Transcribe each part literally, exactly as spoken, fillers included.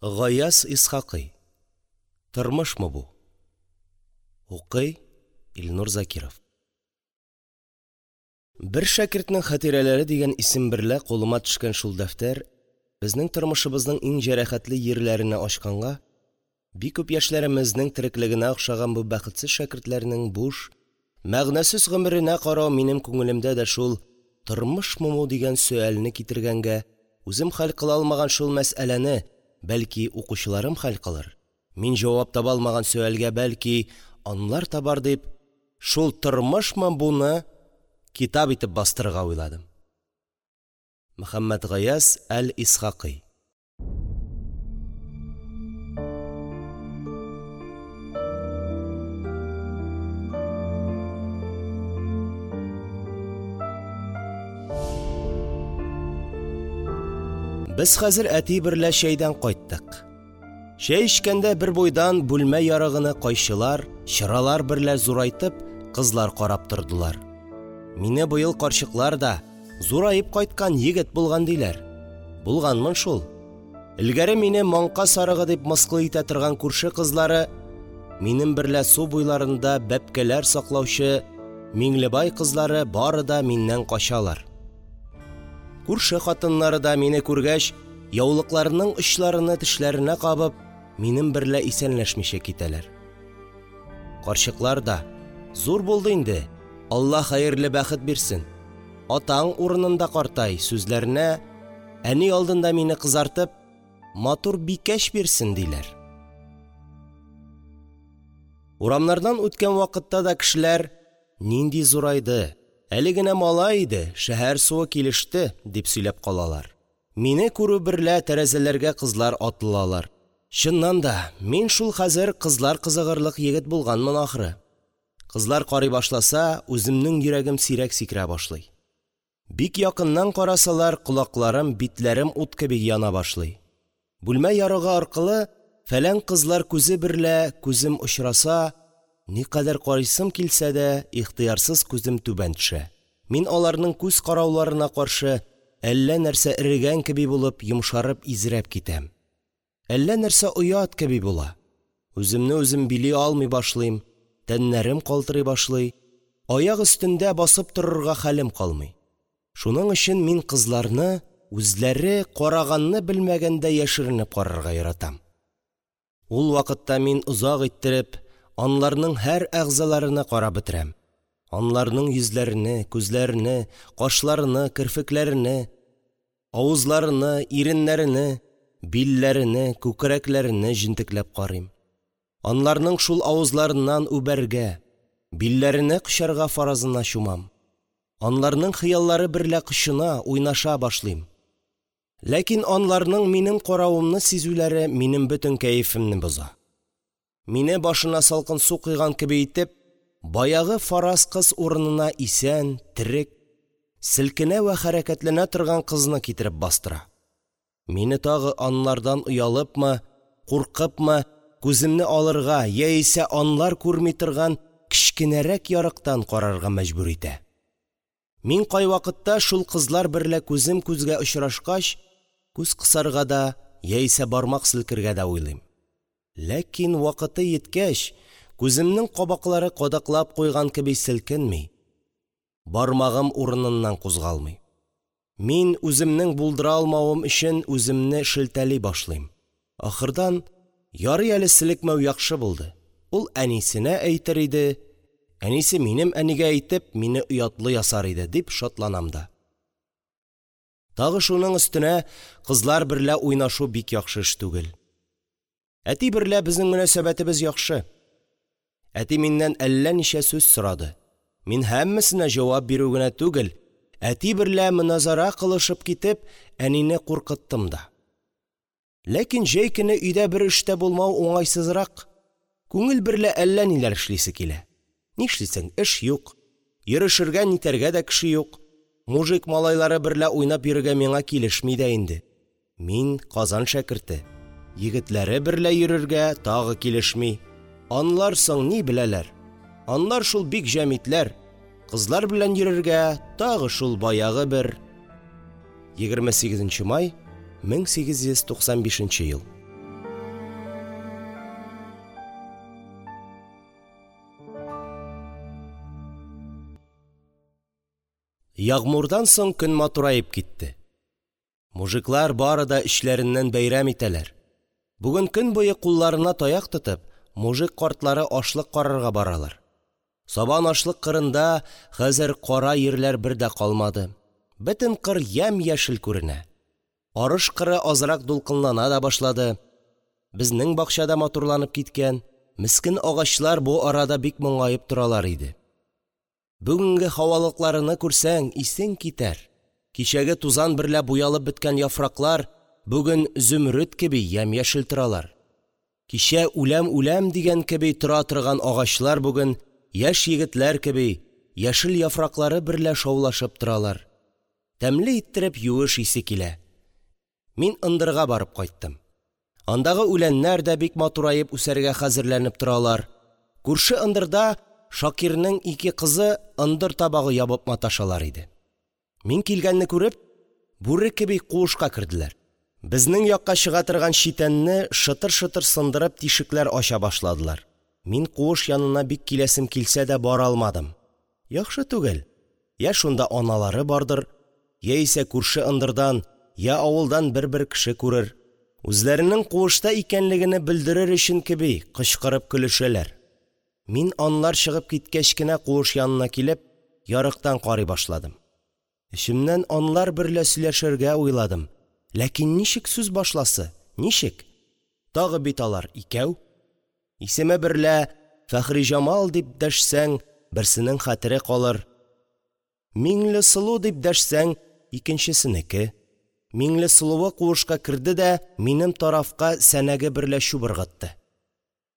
Гаяз Исхакый. Тормышмы бу? Укый Илнур Закиров. Бер шәкертнең хатирәләре дигән исем берлә кулыма төшкән шул дәфтәр безнең тормышымызның иң җәрәхәтле йирләрене ачканга, бик күп яшьләремезнең тереклегенә охшаган бу бәхетсез шәкертләрнең буш, мәгънәсез гомеренә карау минем күңелемдә дә шул «Тормышмы бу?» дигән сөальне китергәнгә, үзем хәл кыла алмаган шул мәсьәләне, бәлки, укучыларым хәл кылыр, мин җавап таба алмаган сөальгә, бәлки, алар табар дип, шул «Тормышмы бу?»ны китап итеп бастырырга уйладым. Мөхәммәтгаяз әл-Исхакый. Без хәзер әти берлә чәйдән кайттык. Чәй эчкәндә бербуйдан бүлмә ярыгыны кайчылар, чыралар берлә зурайтып, кызлар карап тордылар. Мине быел карчыклар да зураеп кайткан егет булган диләр. Булганмын шул. Элгәре мине маңка сарыгы дип мыскыл итә торган күрше кызлары, минем берлә су буйларында бәбкәләр саклаучы Миңлебай кызлары бары да миннән качалар. Күрше хатыннары да мине күргәч, яулыкларының очларыны тешләренә кабып, минем берлә исәнләшмичә китәләр. Карчыклар да: «Зур булды инде, Алла хәерле бәхет бирсен, атаң урынында картай» сүзләренә, әни алдында мине кызартып, «Матур бикәч бирсен» диләр. Урамнардан үткән вакытта да кешеләр: «Нинди зурайды, әле генә малай иде, шәһәр суы килеште», – дип сөйләп калалар. Мине күрү берлә тәрәзәләргә кызлар атылалар. Чыннан да, мин шул хәзер кызлар кызыгырлык егет булганмын, ахры. Кызлар карый башласа, үземнең йөрәгем сирәк сикерә башлый. Бик якыннан карасалар, колакларым, битләрем ут кеби яна башлый. Бүлмә ярыгы аркылы фәлән кызлар күзе берлә күзем очраса, никадәр карыйсым килсә дә, ихтыярсыз күзем түбән төшә. Мин аларның күз карауларына каршы әллә нәрсә эрегән кеби булып, йомшарып, изрәп китәм. Әллә нәрсә оят кеби була. Үземне үзем били алмый башлыйм, тәннәрем калтырый башлый, аяк өстендә басып торырга хәлем калмый. Шуның өчен мин кызларны үзләре караганны белмәгәндә яшеренеп карарга яратам. Ул вакытта мин озак иттереп анларның һәр әгъзаларына карап бетерәм. Анларның йөзләрене, күзләрене, кашларыны, керфекләрене, авызларыны, иреннәрене, билләрене, күкрәкләрене җентекләп карыйм. Анларның шул авызларыннан үбәргә, билләрене кочарга фаразына чумам. Анларның хыяллары берлә кочына, уйнаша башлыйм. Ләкин анларның минем каравымны сизүләре минем бөтен кәефемне боза. Мине башына салкын су койган кеби итеп, баягы фараз кыз урынына исән, терек, селкенә вә хәрәкәтләнә торган кызны китереп бастыра. Мине тагы анлардан оялыпмы, куркыпмы, күземне алырга яисә анлар күрми торган кечкенәрәк ярыктан карарга мәҗбүр итә. Мин кайвакытта шул кызлар берлә күзем күзгә очрашкач, күз кысарга да яисә бармак селкергә дә уйлыйм. Ләкин вакыты йиткәч, күземнең кабаклары кадаклап куйган кеби селкенми, бармагым урыныннан кузгалмый. Мин үземнең булдыра алмавым өчен үземне шелтәли башлыйм. Ахырдан, ярый әле селекмәү яхшы булды, ул әнисенә әйтер иде, әнисе минем әнигә әйтеп, мине оятлы ясар иде, дип шатланам да. Тагы шуның өстенә кызлар берлә уйнашу бик яхшы эш түгел. Әти берлә безнең мөнәсәбәтебез яхшы. Әти миннән әллә ничә сүз сорады. Мин һәммәсенә җавап бирү генә түгел, әти берлә моназара кылышып китеп, әнине куркыттым да. Ләкин җәй көне өйдә бер эш тә булмау уңайсызрак. Күңел берлә әллә ниләр эшлисе килә. Нишлисең, эш юк. Йөрешергә, нитәргә дә кеше юк. Мужик малайлары берлә уйнап йөрергә миңа килешми дә инде. Мин Казан шәкерте. Егетләре берлә йөрергә тагы килешми. Анлар соң ни беләләр? Анлар шул бик җәмитләр. Кызлар белән йөрергә тагы шул баягы бер. егерме сигезенче май мең сигез йөз туксан бишенче ел. Ягъмурдан соң көн матураеп китте. Мужиклар бары да эчләреннән бәйрәм итәләр. Бүген көн буе кулларына таяк тотып, мужик картлары ашлык карарга баралар. Сабан ашлык кырында хәзер кара йирләр бер дә калмады. Бөтен кыр ямь-яшел күренә. Арыш кыры азрак дулкынлана да башлады. Безнең бакча да матурланып киткән. Мескен агачлар бу арада бик моңаеп торалар иде. Бүгенге һавалыкларыны күрсәң, исең китәр. Кичәге тузан берлә буялып беткән яфраклар бүген зүмруд кеби ямь-яшел торалар. Кичә үләм-үләм дигән кеби тора торган агачлар бүген яшь егетләр кеби яшел яфраклары берлә шаулашып торалар. Тәмле иттереп юеш исе килә. Мин ындырга барып кайттым. Андагы үләннәр дә бик матураеп үсәргә хәзерләнеп торалар. Күрше ындырда Шакирның ике кызы ындыр табагы ябып маташалар иде. Мин килгәнне күреп, бүре кеби куышка керделәр. Безнең якка чыга торган читәнне шытыр-шытыр сындырып тишекләр ача башладылар. Мин куыш янына бик киләсем килсә дә бара алмадым. Яхшы түгел. Я шунда аналары бардыр, яисә күрше ындырдан, я авылдан бер-бер кеше күрер. Үзләренең куышта икәнлегене белдерер өчен кеби кычкырып көлешәләр. Мин анлар чыгып киткәч кенә куыш янына килеп, ярыктан карый башладым. Эчемнән анлар берлә сөйләшергә уйладым. Ләкин ничек сүз башласы? Ничек? Тагы бит алар икәү. Исеме берлә Фәхриҗамал дип дәшсәң, берсенең хәтере калыр. Миңлесылу дип дәшсәң, икенчесенеке. Миңлесылуы куышка керде дә минем тарафка сәнәге берлә чүп ыргытты.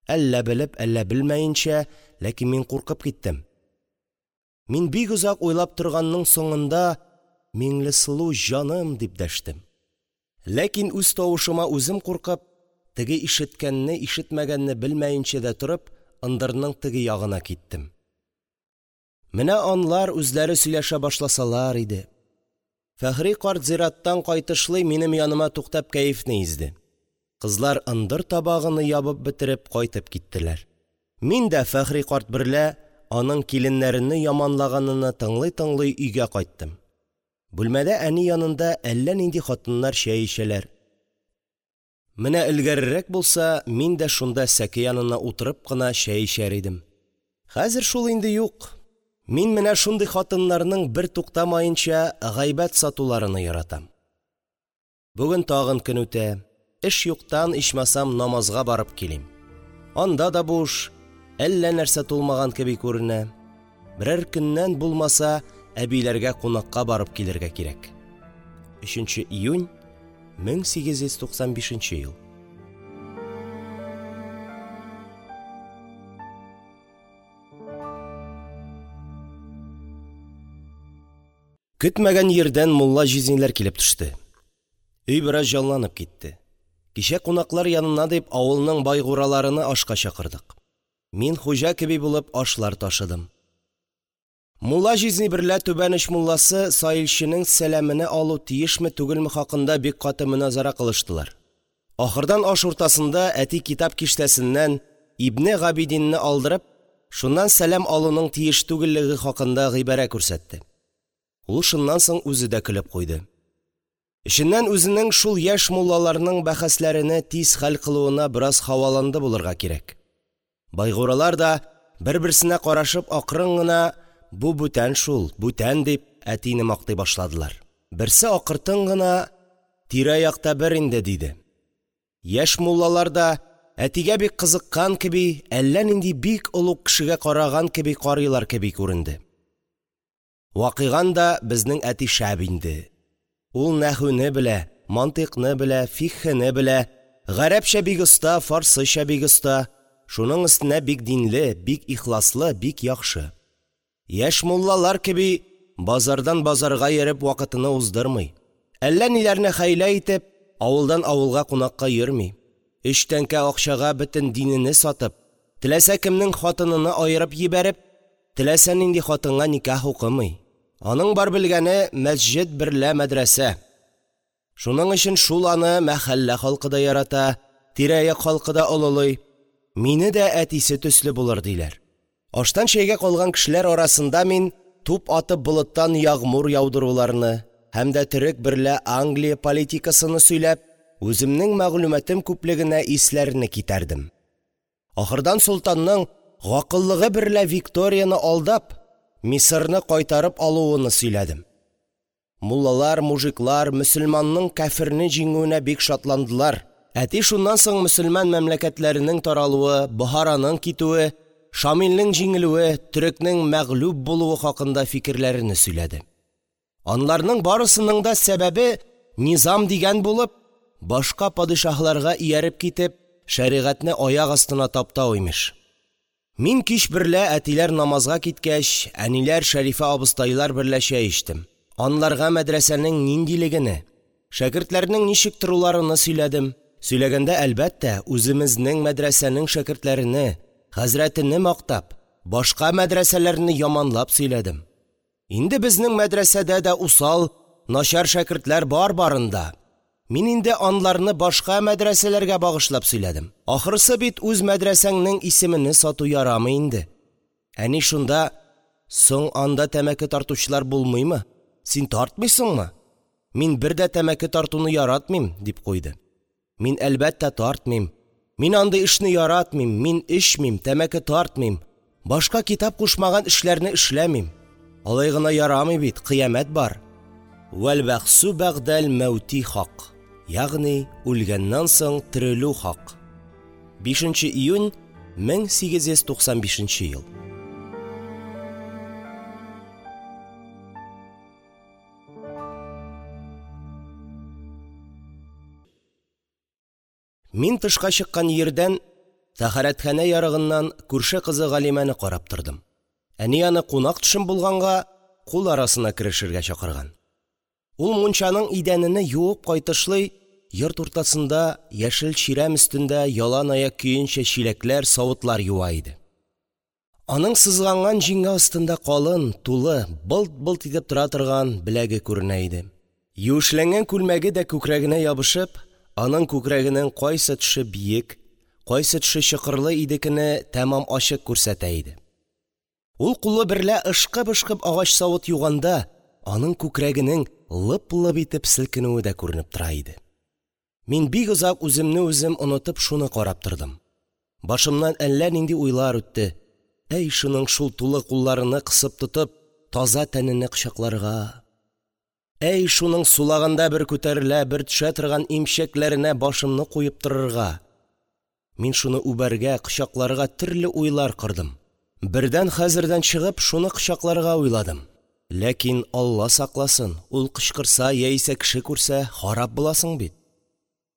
Әллә белеп, әллә белмәенчә, ләкин мин куркып киттем. Мин бик озак уйлап торганның соңында «Миңлесылу җаным» дип дәштем. Ләкин үз тавышыма үзем куркып, теге ишеткәнне, ишетмәгәнне белмәенчә дә торып, ындырның теге ягына киттем. Менә анлар үзләре сөйләшә башласалар иде. Фәхри карт зираттан кайтышлый минем яныма туктап кәефне изде. Кызлар ындыр табагыны ябып бетереп кайтып киттеләр. Мин дә Фәхри карт берлә аның киленнәрене яманлаганыны тыңлый-тыңлый өйгә кайттым. Бүлмәдә әни янында әллә нинди хатыннар чәй эчәләр. Менә элгәрерәк булса, мин дә шунда сәке янына утырып кына чәй эчәр идем. Хәзер шул инде юк. Мин менә шундый хатыннарның бер туктамаенча гайбәт сатуларыны яратам. Бүген тагын көн үтә. Эш юктан ичмасам намазга барып килим. Анда да буш, әллә нәрсә тулмаган кеби күренә. Берәр көннән булмаса, әбиләргә кунакка барып килергә кирәк. өченче июнь мең сигез йөз туксан бишенче ел. Көтмәгән йирдән мулла җизниләр килеп төште. Өй бераз җанланып китте. Кичә кунаклар янына дип авылның байгураларыны ашка чакырдык. Мин хуҗа кеби булып ашлар ташыдым. Мулла җизни берлә түбән оч мулласы саилченең сәламене алу тиешме түгелме хакында бик каты мөназара кылыштылар. Ахырдан аш уртасында әти китап киштәсеннән Ибне Габидинне алдырып, шуннан сәлам алуның тиеш түгеллеге хакында гыйбарә күрсәтте. Ул шуннан соң үзе дә көлеп куйды. Эченнән үзенең шул яшь муллаларның бәхәсләрене тиз хәл кылуына бераз һаваланды булырга кирәк. Байгуралар да бер-берсенә карашып акрын гына «Бу бүтән шул, бүтән» дип әтине мактый башладылар. Берсе акыртын гына «Тирә-якта бер инде» диде. Яшь муллалар да әтигә бик кызыккан кеби, әллә нинди бик олуг кешегә караган кеби карыйлар кеби күренде. Вакыйган да безнең әти шәп инде. Ул нәхүне белә, мантыйкны белә, фикһене белә, гарәпчә бик оста, фарсыча бик оста, шуның өстенә бик динле, бик ихласлы, бик яхшы. Яшь муллалар кеби базардан базарга йөреп вакытыны уздырмый. Әллә ниләрне хәйлә итеп, авылдан авылга кунакка йөрми. Өч тәңкә акчага бөтен динене сатып, теләсә кемнең хатыныны аерып җибәреп, теләсә нинди хатынга никах укымый. Аның бар белгәне мәсҗид берлә мәдрәсә. Шуның өчен шул аны мәхәллә халкы да ярата, тирә-як халкы да олылый. Мине дә әтисе төсле булыр диләр. Аштан чәйгә калган кешеләр арасында мин туп атып болыттан ягъмур яудыруларны һәм дә төрек берлә Англия политикасыны сөйләп, үземнең мәгълүматым күплегенә исләрене китәрдем. Ахырдан солтанның гакыллыгы берлә Викторияне алдап, Мисырны кайтарып алуыны сөйләдем. Муллалар, мужиклар мөселманның кяферне җиңүенә бик шатландылар. Әти шуннан соң мөселман мәмләкәтләренең таралуы, Бохараның китүе, Шамилнең җиңелүе, төрекнең мәгълүб булуы хакында фикерләрене сөйләде. Анларның барысының да сәбәбе низам дигән булып, башка падишаһларга ияреп китеп, шәригатьне аяк астына таптау, имеш. Мин кич берлә әтиләр намазга киткәч, әниләр Шәрифә абыстайлар берлә чәй эчтем. Анларга мәдрәсәнең ниндилегене, шәкертләрнең ничек торуларыны сөйләдем. Сөйләгәндә, әлбәттә, үземезнең мәдрәсәнең шәкертләрене, хәзрәтене мактап, башка мәдрәсәләрне яманлап сөйләдем. Инде безнең мәдрәсәдә дә усал, начар шәкертләр бар барында. Мин инде анларны башка мәдрәсәләргә багышлап сөйләдем. Ахрысы бит үз мәдрәсәңнең исемене сату ярамый инде. Әни шунда: «Соң анда тәмәке тартучылар булмыймы? Син тартмыйсыңмы? Мин бер дә тәмәке тартуны яратмыйм», – дип куйды. Мин, әлбәттә, тартмыйм. Мин андый эшне яратмыйм. Мин эчмим, тәмәке тартмыйм. Башка китап кушмаган эшләрне эшләмим. Алай гына ярамый бит, кыямәт бар. Вәл бәгъсу бәгъдәл мәүти хак. Ягъни үлгәннән соң терелү хак. бишенче июнь мең сигез йөз туксан бишенче ел. Мин тышка чыккан йирдән, тәһарәтханә ярыгыннан күрше кызы Галимәне карап тордым. Әни аны кунак төшем булганга кул арасына керешергә чакырган. Ул мунчаның идәнене юып кайтышлый йорт уртасында яшел чирәм өстендә ялан аяк көенчә чиләкләр, савытлар юа иде. Аның сызганган җиңе астында калын, тулы, былт-былт итеп тора торган беләге күренә иде. Юешләнгән күлмәге дә күкрәгенә ябышып, аның күкрәгенең кайсы төше биек, кайсы төше чокырлы идекене тәмам ачык күрсәтә иде. Ул кулы берлә ышкып-ышкып агач савыт юганда, аның күкрәгенең лып-лып итеп селкенүе дә күренеп тора иде. Мин бик озак үземне үзем онытып шуны карап тордым. Башымнан әллә нинди уйлар үтте. Әй, шуның шул тулы кулларыны кысып тотып, таза тәнене кочакларга. Әй, шуның сулаганда бер күтәрелә, бер төшә торган имчәкләренә башымны куеп торырга. Мин шуны үбәргә, кочакларга төрле уйлар кордым. Бердән хәзердән чыгып, шуны кочакларга уйладым. Ләкин Алла сакласын, ул кычкырса яисә кеше күрсә, харап буласың бит.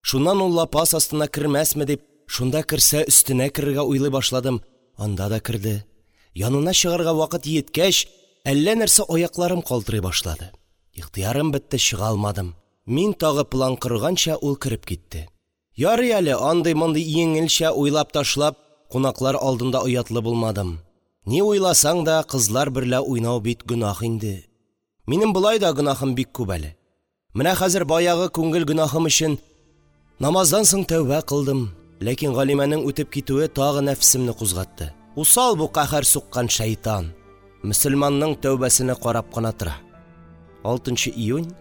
Шуннан ул лапас астына кермәсме дип, шунда керсә өстенә керергә уйлый башладым. Анда да керде. Янына чыгарга вакыт җиткәч, әллә нәрсә аякларым калтырый башлады. Ихтыярым бетте, чыга алмадым. Мин тагы план корганча ул кереп китте. Ярый әле андый-мондый җиңелчә уйлап ташлап, кунаклар алдында оятлы булмадым. Ни уйласаң да, кызлар берлә уйнау бит гөнаһ инде. Минем болай да гөнаһым бик күп әле. Менә хәзер баягы күңел гөнаһым өчен намаздан соң тәүбә кылдым. Ләкин Галимәнең үтеп китүе тагы нәфсемне кузгатты. Усал бу каһәр суккан шайтан. Мөселманның тәүбәсенә карап кына тора. алтынчы июнь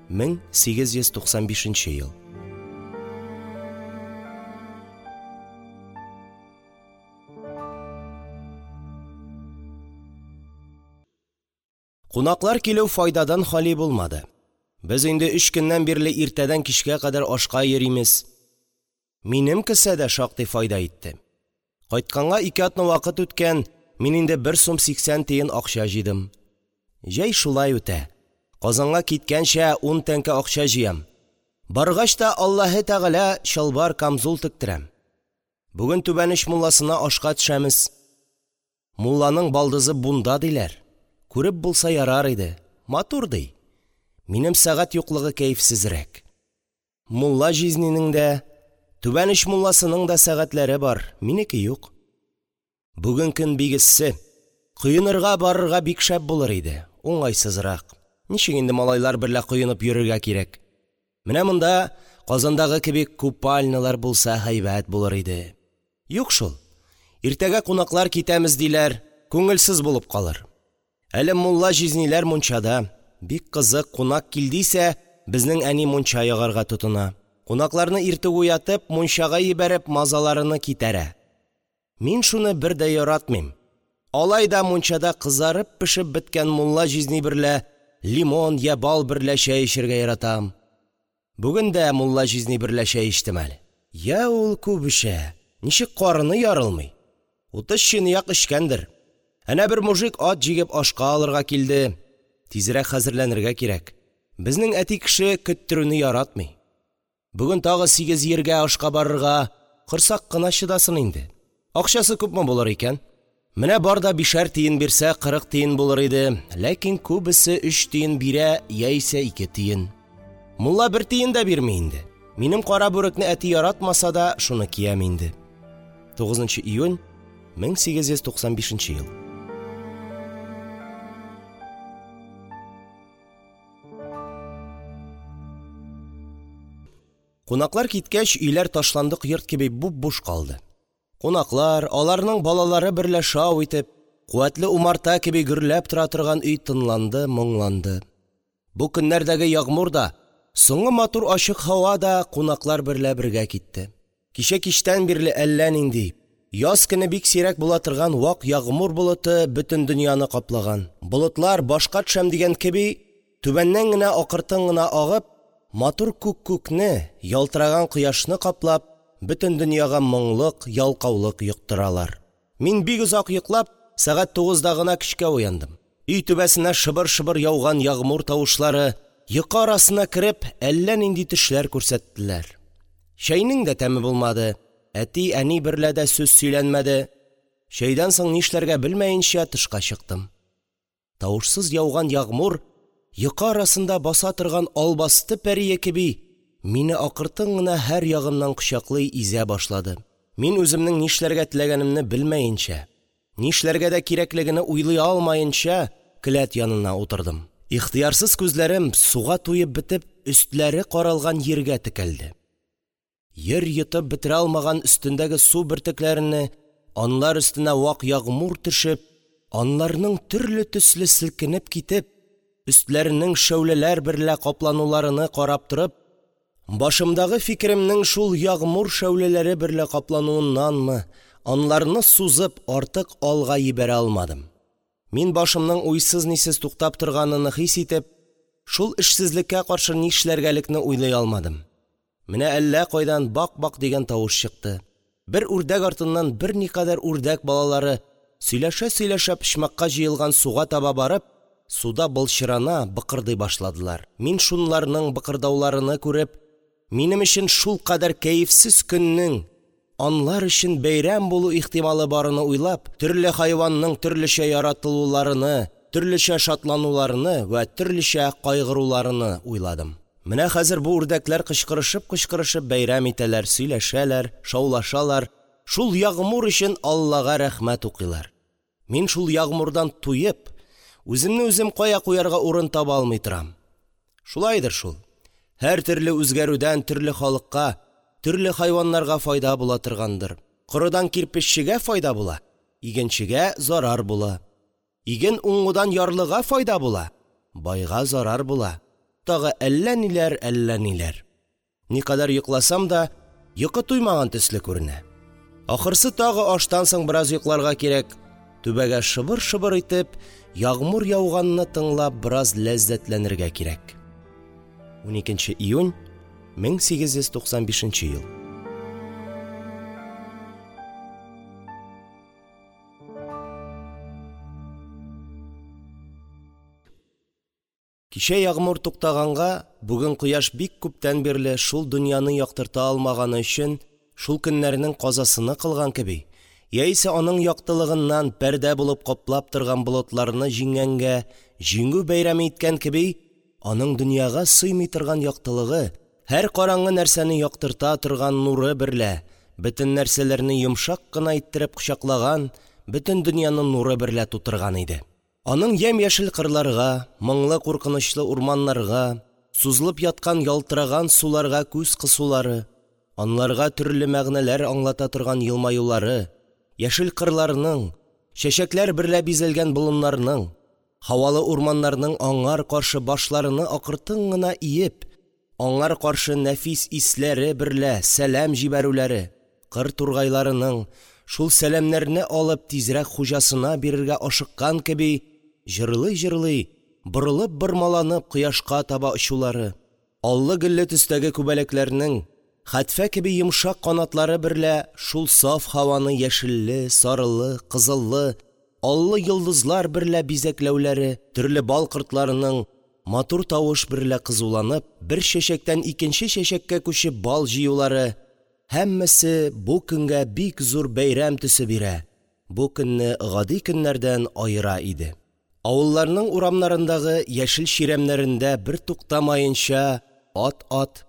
мең сигез йөз туксан бишенче ел. Кунаклар килү файдадан хали булмады. Без инде өч көннән бирле иртәдән кичкә кадәр ашка йөримез. Минем кесә дә шактый файда итте. Кайтканга ике атна вакыт үткән, мин инде бер сум сиксән тиен акча җыйдым. Җәй шулай үтә. Казанга киткәнчә ун тәңкә акча җыям. Баргач та Аллаһы Тәгалә чалбар камзул тектерәм. Бүген Түбән оч мулласына ашка төшәмез. Мулланың балдызы бунда диләр. Күреп булса ярар иде. Матур ди. Минем сәгать юклыгы кәефсезрәк. Мулла җизнинең дә, Түбән оч мулласының да сәгатьләре бар, минеке юк. Бүген көн бик эссе. Коенырга барырга бик шәп булыр иде. Уңайсызрак. Ничек инде малайлар берлә коенып йөрергә кирәк? Менә монда Казандагы кебек купальнялар булса һәйбәт булыр иде. Юк шул. Иртәгә кунаклар китәмез диләр, күңелсез булып калыр. Әле мулла җизниләр мунчада. Бик кызык, кунак килдисә, безнең әни мунча ягарга тотына. Кунакларны иртүк уятып, мунчага җибәреп, мазаларыны китәрә. Мин шуны бер дә яратмыйм. Алай да мунчада кызарып-пешеп беткән мулла җизни берлә лимон йә бал берлә чәй эчәргә яратам. Бүген дә мулла җизни берлә чәй эчтем әле. Йа ул күп эчә, ничек карыны ярылмый. Утыз чынаяк эчкәндер. Әнә бер мужик ат җигеп ашка алырга килде. Тизрәк хәзерләнергә кирәк. Безнең әти кеше көттерүне яратмый. Бүген тагы сигез җиргә ашка барырга, корсак кына чыдасын инде. Акчасы күпме булыр икән? Менә бар да бишәр тиен бирсә, кырык тиен булыр иде, ләкин күбесе өч тиен бирә яисә ике тиен. Мулла бер тиен дә бирми инде. Минем кара бүрекне әти яратмаса да, шуны киям инде. тугызынчы июнь мең сигез йөз туксан бишенче ел. Кунаклар киткәч, өйләр ташландык йорт кеби буп-буш калды. Кунаклар, аларның балалары берлә шау итеп, куәтле умарта кеби гөрләп тора торган өй тынланды, моңланды. Бу көннәрдәге ягъмур да, соңгы матур ачык һава да кунаклар берлә бергә китте. Кичә кичтән бирле әллә нинди, яз көне бик сирәк була торган вак ягъмур болыты бөтен дөньяны каплаган. Болытлар башка төшәм дигән кеби, түбәннән генә акыртын гына агып, матур күк күкне, ялтыраган кояшны каплап, бөтен дөньяга моңлык, ялкаулык йоктыралар. Мин бик озак йоклап, сәгать тугызда гына көчкә уяндым. Өй түбәсенә шыбыр-шыбыр яуган ягъмур тавышлары йокы арасына кереп, әллә нинди төшләр күрсәттеләр. Чәйнең дә тәме булмады, әти, әни берлә дә сүз сөйләнмәде. Чәйдән соң нишләргә белмәенчә тышка чыктым. Тавышсыз яуган ягъмур йокы арасында баса торган албасты пәрие кеби мине акыртын гына һәр ягымнан кочаклый изә башлады. Мин үземнең нишләргә теләгәнемне белмәенчә, нишләргә дә кирәклегене уйлый алмаенча келәт янына утырдым. Ихтыярсыз күзләрем суга туеп бетеп, өстләре каралган җиргә текәлде. Ер йотып бетерә алмаган өстендәге су бөртекләренә, анлар өстенә вак ягъмур төшеп, анларның төрле төсле селкенеп китеп, өстләренең шәүләләр берлә каплануларыны карап торып, башымдагы фикеремнең шул ягъмур шәүләләре берлә каплануыннанмы, анларны сузып артык алга җибәрә алмадым. Мин башымның уйсыз-нисез туктап торганыны хис итеп, шул эшсезлеккә каршы нишләргәлекне уйлый алмадым. Менә әллә кайдан бак-бак дигән тавыш чыкты. Бер үрдәк артыннан берникадәр үрдәк балалары сөйләшә-сөйләшә почмакка җыелган суга таба барып, суда былчырана, быкырдый башладылар. Мин шунларның быкырдауларыны күреп, минем өчен шул кадәр кәефсез көннең анлар өчен бәйрәм булу ихтималы барыны уйлап, төрле хайванның төрлечә яратылуларыны, төрлечә шатлануларыны вә төрлечә кайгыруларыны уйладым. Менә хәзер бу үрдәкләр кычкырышып-кычкырышып бәйрәм итәләр, сөйләшәләр, шаулашалар, шул ягъмур өчен Аллага рәхмәт укыйлар. Мин шул ягъмурдан туеп, үземне үзем кая куярга урын таба алмый торам. Шулайдыр шул. Һәр төрле үзгәрүдән төрле халыкка, төрле хайваннарга файда була торгандыр. Корыдан кирпеччегә файда була, игенчегә зарар була. Иген уңудан ярлыга файда була, байга зарар була. Тагы әллә ниләр, әллә ниләр. Никадәр йокласам да, йокы туймаган төсле күренә. Ахырсы тагы аштан соң бераз йокларга кирәк. Түбәгә шыбыр-шыбыр итеп, ягъмур яуганны тыңлап бераз ләззәтләнергә кирәк. уникенче июнь мең сигез йөз туксан бишенче ел. Кичә ягъмур туктаганга, бүген кояш бик күптән бирле шул дөньяны яктырта алмаганы өчен, шул көннәрнең казасыны кылган кеби, яисә аның яктылыгыннан пәрдә булып каплап торган болытларны җиңгәнгә, җиңү бәйрәме иткән кеби, аның дөньяга сыймый торган яктылыгы, һәр караңгы нәрсәне яктырта торган нуры берлә, бөтен нәрсәләрне йомшак кына иттереп кочаклаган, бөтен дөньяны нуры берлә тутырган иде. Аның ямь-яшел кырларга, моңлы куркынычлы урманнарга, сузылып яткан ялтыраган суларга күз кысулары, анларга төрле мәгънәләр аңлата торган елмаюлары, яшел кырларның, чәчәкләр берлә бизәлгән болыннарның, Һавалы урманнарның аңар каршы башларыны акыртын гына иеп, аңар каршы нәфис исләре берлә сәлам җибәрүләре, кыр тургайларының, шул сәламнәрне алып, тизрәк хуҗасына бирергә ашыккан кеби җырлый-җырлый, борылып-бормаланып кояшка таба очулары, аллы-гөлле төстәге күбәләкләрнең хәтфә кеби йомшак канатлары берлә шул саф һаваны яшелле, сарылы, кызыллы, аллы йолдызлар берлә бизәкләүләре, төрле бал кортларының, матур тавыш берлә кызуланып, бер чәчәктән икенче чәчәккә күчеп бал җыюлары – һәммәсе бу көнгә бик зур бәйрәм төсе бирә, бу көнне гади көннәрдән аера иде. Авылларның урамнарындагы яшел чирәмнәрендә бертуктамаенча ат-ат,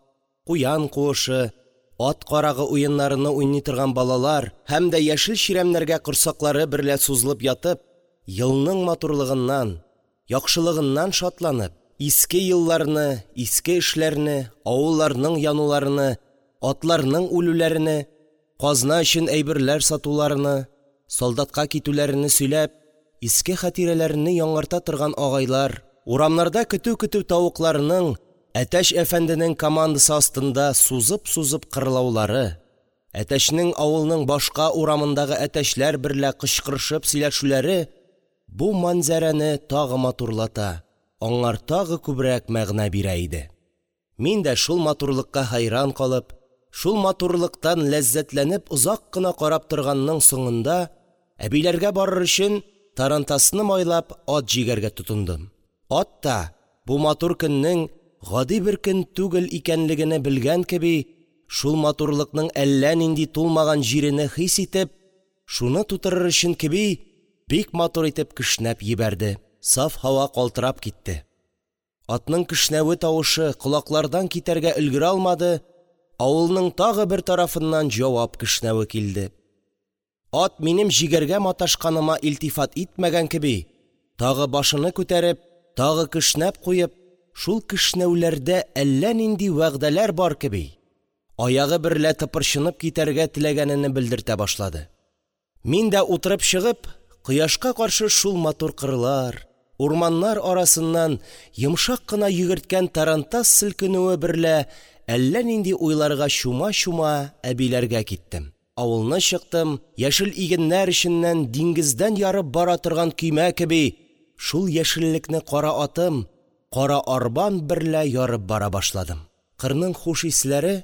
куян куышы, ат карагы уеннарыны уйный торган балалар һәм дә яшел чирәмнәргә корсаклары берлә сузылып ятып, елның матурлыгыннан, яхшылыгыннан шатланып, иске елларны, иске эшләрне, авылларның януларыны, атларның үлүләрене, казна өчен әйберләр сатуларыны, солдатка китүләрене сөйләп, иске хатирәләрене яңарта торган агайлар, урамнарда көтү-көтү тавыкларның әтәч әфәнденең командасы астында сузып-сузып кырлаулары, әтәчнең авылның башка урамындагы әтәчләр берлә кычкырышып сөйләшүләре бу мәнзарәне тагы матурлата, аңар тагы күбрәк мәгънә бирә иде. Мин дә шул матурлыкка хәйран калып, шул матурлыктан ләззәтләнеп озак кына карап торганның соңында, әбиләргә барыр өчен тарантасны майлап, ат җигәргә тотындым. Ат та, бу матур көннең гади бер көн түгел икәнлегене белгән кеби, шул матурлыкның әллә нинди тулмаган җирене хис итеп, шуны тутырыр өчен кеби, бик матур итеп кешнәп җибәрде. Саф һава калтырап китте. Атның кешнәве тавышы колаклардан китәргә өлгерә алмады, авылның тагы бер тарафыннан җавап кешнәве килде. Ат минем җигәргә маташканыма илтифат итмәгән кеби, тагы башыны күтәреп, тагы кешнәп куеп, шул кешнәүләрдә әллә нинди вәгъдәләр бар кеби, аягы берлә тыпырчынып китәргә теләгәнене белдертә башлады. Мин дә утырып чыгып, кояшка каршы шул матур кырлар, урманнар арасыннан йомшак кына йөгерткән тарантас селкенүе берлә әллә нинди уйларга чума-чума әбиләргә киттем. Авылны чыктым, яшел игеннәр эченнән диңгездән ярып бара торган көймә кеби, шул яшеллекне кара атым, кара арбам берлә ярып бара башладым. Кырның хуш исләре,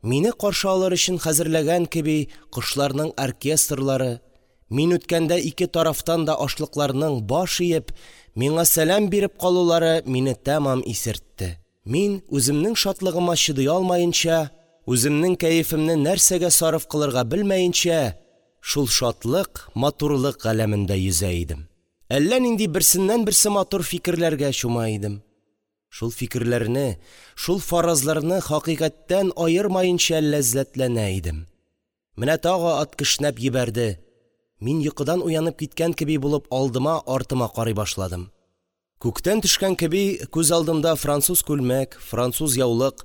мине каршы алыр өчен хәзерләгән кеби кошларның оркестрлары, мин үткәндә ике тарафтан да ашлыкларның баш иеп, миңа сәлам биреп калулары мине тәмам исертте. Мин, үземнең шатлыгыма чыдый алмаенча, үземнең кәефемне нәрсәгә сарыф кылырга белмәенчә, шул шатлык, матурлык галәмендә йөзә идем. Әллә нинди берсеннән-берсе матур фикерләргә чума идем. Шул фикерләрне, шул фаразларны хакыйкатьтән аермаенча ләззәтләнә идем. Менә тагы ат кешнәп җибәрде. Мин йокыдан уянып киткән кеби булып алдыма, артыма карый башладым. Күктән төшкән кеби күз алдымда француз күлмәк, француз яулык,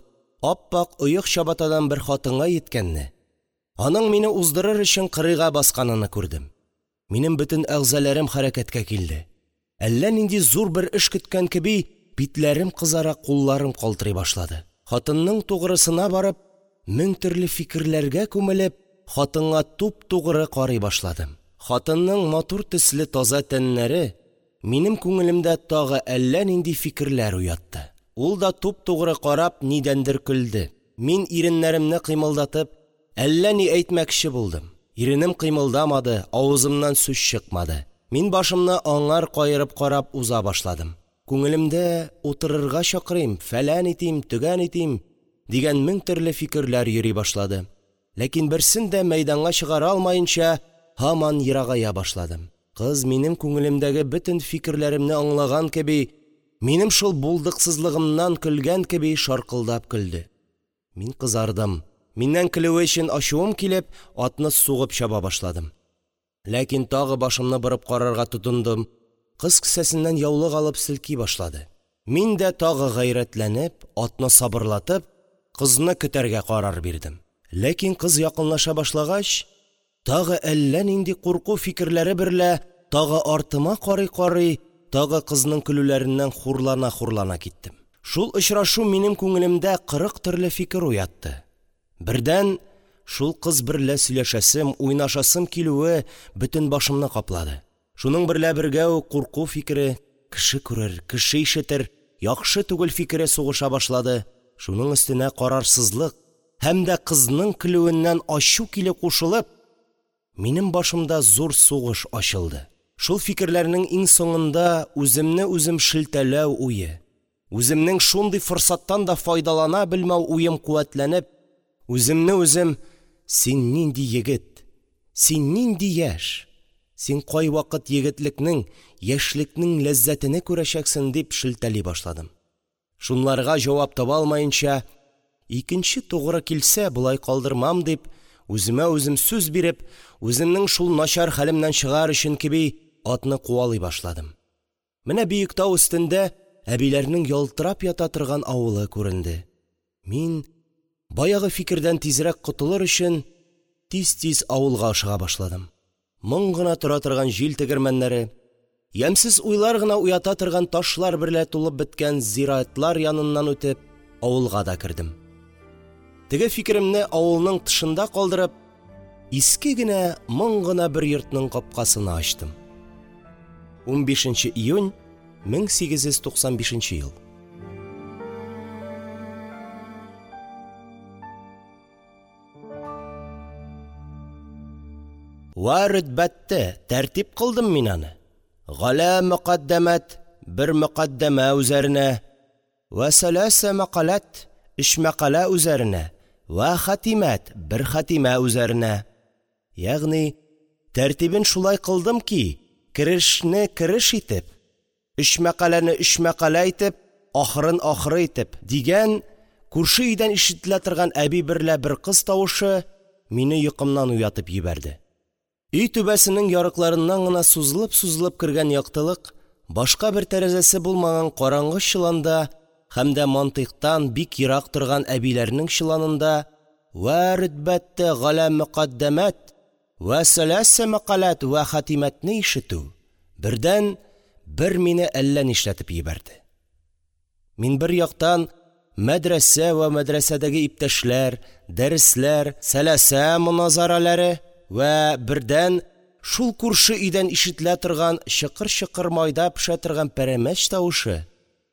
ап-ак оек чабатадан бер хатынга җиткәнне, аның мине уздырыр өчен кырыйга басканыны күрдем. Минем бөтен әгъзаларым хәрәкәткә килде. Әллә нинди зур бер эш көткән кеби, битләрем кызара, кулларым калтырый башлады. Хатынның тугрысына барып, мең төрле фикерләргә күмелеп, хатынга туп-тугры карый башладым. Хатынның матур төсле таза тәннәре минем күңелемдә тагы әллә нинди фикерләр уятты. Ул да туп-тугры карап нидәндер көлде. Мин иреннәремне кыймылдатып, әллә ни әйтмәкче булдым. Иренем кыймылдамады, авызымнан сүз чыкмады. Мин башымны аңар каерып карап уза башладым. Күңелемдә утырырга чакырыйм, фәлән итим, төгән итим дигән мең төрле фикерләр йөри башлады. Ләкин берсен дә мәйданга чыгара алмаенча, һаман ерагая башладым. Кыз минем күңелемдәге бөтен фикерләремне аңлаган кеби, минем шул булдыксызлыгымнан көлгән кеби шаркылдап көлде. Мин кызардым. Миннән көлүе өчен ачуым килеп, атны сугып чаба башладым. Ләкин тагы башымны борып карарга тотындым. Кыз кесәсеннән яулык алып селки башлады. Мин дә тагы гайрәтләнеп, атны сабырлатып, кызны көтәргә карар бирдем. Ләкин кыз якынлаша башлагач, тагы әллә нинди курку фикерләре берлә, тагы артыма карый-карый, тагы кызның көлүләреннән хурлана-хурлана киттем. Шул очрашу минем күңелемдә кырык төрле фикер уятты. Бердән, шул кыз берлә сөйләшәсем, уйнашасым килүе бөтен башымны каплады. Шуның берлә бергә үк курку фикере, кеше күрер, кеше ишетер, яхшы түгел фикере сугыша башлады. Шуның өстенә карарсызлык һәм дә кызның көлүеннән ачу килеп кушылып, минем башымда зур сугыш ачылды. Шул фикерләрнең иң соңында үземне үзем шелтәләү уе, үземнең шундый форсаттан да файдалана белмәү уем куәтләнеп, үземне үзем: «Син нинди егет, син нинди яшь, син кайвакыт егетлекнең, яшьлекнең ләззәтене күрәчәксең», – дип шелтәли башладым. Шунларга җавап таба алмаенча, икенче тугры килсә, болай калдырмам дип, үземә үзем сүз биреп, үземнең шул начар хәлемнән чыгар өчен кеби, атны куалый башладым. Менә биек тау өстендә әбиләрнең ялтырап ята торган авылы күренде. Мин, баягы фикердән тизрәк котылыр өчен, тиз-тиз авылга ашыга башладым. Моң гына тора торган җил тегермәннәре, ямьсез уйлар гына уята торган ташлар берлә тулып беткән зиратлар яныннан үтеп, авылга да кердем. Теге фикеремне авылның тышында калдырып, иске генә, моң гына бер йортның капкасыны ачтым. унбишенче июнь мең сигез йөз туксан бишенче ел. Вә рөтбәттә тәртип кылдым мин аны. Галә мөкаддәмәт бер мөкаддәмә үзәренә, вә сәләсә мәкаләт өч мәкалә үзәренә, вә хатимәт бер хатимә үзәренә. Ягъни тәртибен шулай кылдым ки, керешне кереш итеп, өч мәкаләне өч мәкалә итеп, ахырын ахыры итеп дигән күрше өйдән ишетелә торган әби берлә бер кыз тавышы мине йокымнан уятып җибәрде. Өй түбәсенең ярыкларыннан гына сузылып-сузылып кергән яктылык, башка бер тәрәзәсе булмаган караңгы чоланда һәм дә мантыйктан бик ерак торган әбиләрнең чоланында вә рөтбәттә галә мөкаддәмәт вә сәләсә мәкаләт вә хатимәтне ишетү бердән бер мине әллә нишләтеп җибәрде. Мин бер яктан мәдрәсә вә мәдрәсәдәге иптәшләр, дәресләр, сәләсә моназаралары вә бердән шул күрше өйдән ишетелә торган чыкыр-чыкыр майда пешә торган пәрәмәч тавышы,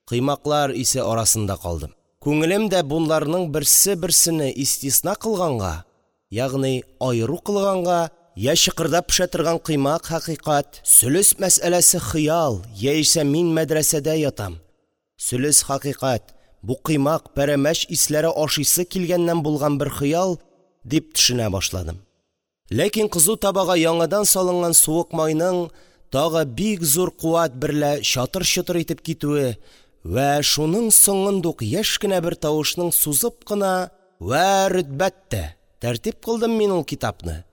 кыймаклар исе арасында калдым. Күңелем дә бунларның берсе-берсене истисна кылганга, ягъни аеру кылганга, я чыкырдап пешә торган кыймак хакыйкать, сөлес мәсьәләсе хыял, яисә мин мәдрәсәдә ятам, сөлес хакыйкать, бу кыймак, пәрәмәч исләре ашыйсы килгәннән булган бер хыял дип төшенә башладым. Ләкин кызу табага яңадан салынган суык майның тагы бик зур куәт берлә чатыр-чотыр итеп китүе вә шуның соңындук яшь кенә бер тавышның сузып кына вә рөтбәттә тәртип кылдым мин ул китапны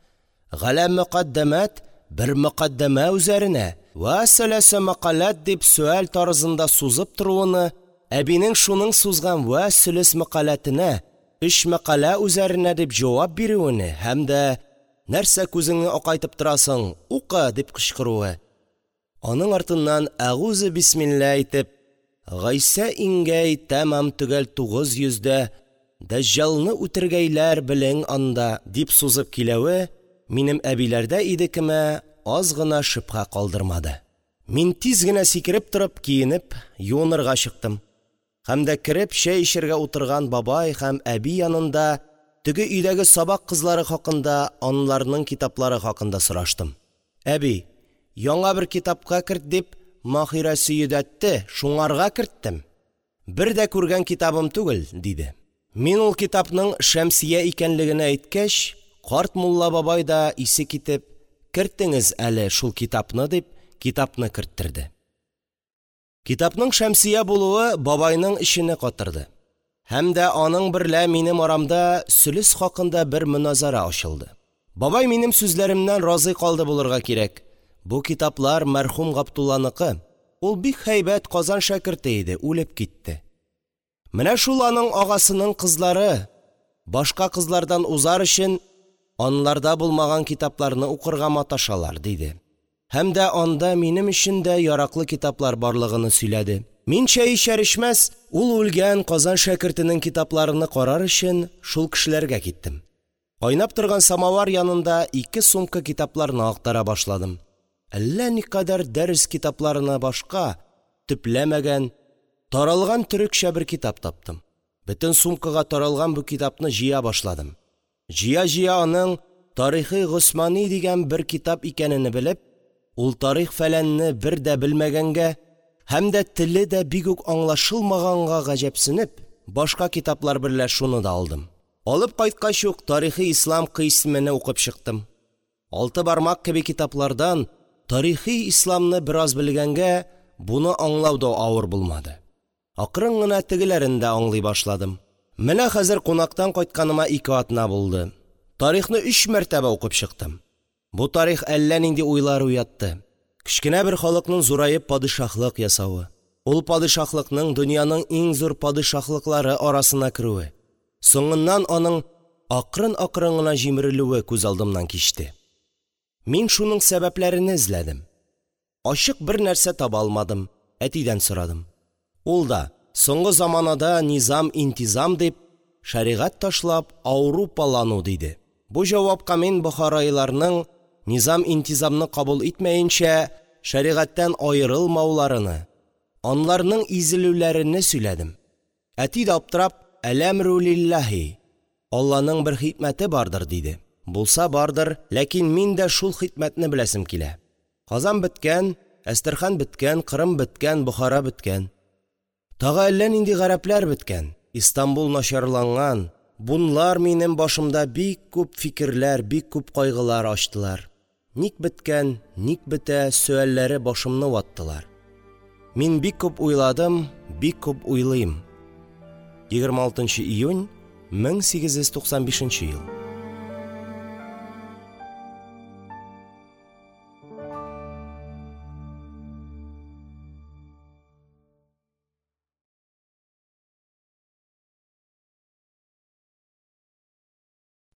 галә мөкаддәмәт бер мөкаддәмә үзәренә вә сәләсә мәкаләт дип сөаль тарызында сузып торуыны, әбинең шуның сузган вә сөлес мәкаләтенә өч мәкалә үзәренә дип җавап бирүене һәм дә нәрсә күзеңне акайтып торасың, укы дип кычкыруы, аның артыннан әгузе бисмилла әйтеп, Гайсә иңгәй тәмам төгәл тугыз йөздә Дәҗҗалны үтергәйләр белең анда дип сузып киләве минем әбиләрдә идекемә аз гына шөбһә калдырмады. Мин тиз генә сикереп торып, киенеп, юынырга чыктым. Һәм дә кереп чәй эчәргә утырган бабай һәм әби янында теге өйдәге сабак кызлары хакында, анларның китаплары хакында сораштым. Әби, яңа бер китапка керт дип, Маһирәсе йөдәтте, шуңарга керттем. Бер дә күргән китабым түгел, диде. Мин ул китапның Шәмсия икәнлегенә әйткәч, карт мулла бабай да исе китеп, кертеңез әле шул китапны дип, китапны керттерде. Китапның Шәмсия булуы бабайның эчене катырды. Һәм дә аның берлә минем арамда сөлес хакында бер моназара ачылды. Бабай минем сүзләремнән разый калды булырга кирәк. Бу китаплар мәрхүм Габдулланыкы. Ул бик һәйбәт Казан шәкерте иде, үлеп китте. Менә шул аның агасының кызлары, башка кызлардан узар өчен, анларда булмаган китапларны укырга маташалар, диде. Һәм дә анда минем өчен дә яраклы китаплар барлыгыны сөйләде. Мин чәй эчәр-эчмәс, ул үлгән Казан шәкертенең китапларыны карар өчен, шул кешеләргә киттем. Кайнап торган самавыр янында ике сумка китапларны актара башладым. Әллә никадәр дәрес китапларына башка, төпләмәгән, таралган төрекчә бер китап таптым. Бөтен сумкага таралган бу китапны җыя башладым. Җыя-җыя аның «Тарихы Госмани» дигән бер китап икәнене белеп, ул тарих-фәләнне бер дә белмәгәнгә һәм дә теле дә бик үк аңлашылмаганга гаҗәпсенеп, башка китаплар берлә шуны да алдым. Алып кайткач ук «Тарихы ислам» кыйсьмене укып чыктым. Алты бармак кеби китаплардан тарихы исламны бераз белгәнгә, буны аңлау да авыр булмады. Акрын гына тегеләрен дә аңлый башладым. Менә хәзер кунактан кайтканыма ике атна булды. Тарихны өч мәртәбә укып чыктым. Бу тарих әллә нинди уйлар уятты. Кечкенә бер халыкның зураеп падишаһлык ясавы, ул падишаһлыкның дөньяның иң зур падишаһлыклары арасына керүе, соңыннан аның акрын-акрын гына җимерелүе күз алдымнан кичте. Мин шуның сәбәпләрене эзләдем. Ачык бер нәрсә таба алмадым. Әтидән сорадым. Ул да, соңгы заманада низам-интизам дип, шәригать ташлап аурупалану диде. Бу җавапка мин бохариларның низам-интизамны кабул итмәенчә, шәригатьтән аерылмауларыны, анларның изелүләрене сөйләдем. Әти дә аптырап, «Әләмрү лиллаһи», Алланың бер хикмәте бардыр, диде. Булса бардыр, ләкин мин дә шул хикмәтне беләсем килә. Казан беткән, Әстерхан беткән, Кырым беткән, Бохара беткән. Тагы әллә нинди гарәпләр беткән, Истанбул начарланган. Бунлар минем башымда бик күп фикерләр, бик күп кайгылар ачтылар. Ник беткән, ник бетә сөальләре башымны ваттылар. Мин бик күп уйладым, бик күп уйлыйм. егерме алтынчы июнь мең сигез йөз туксан бишенче ел.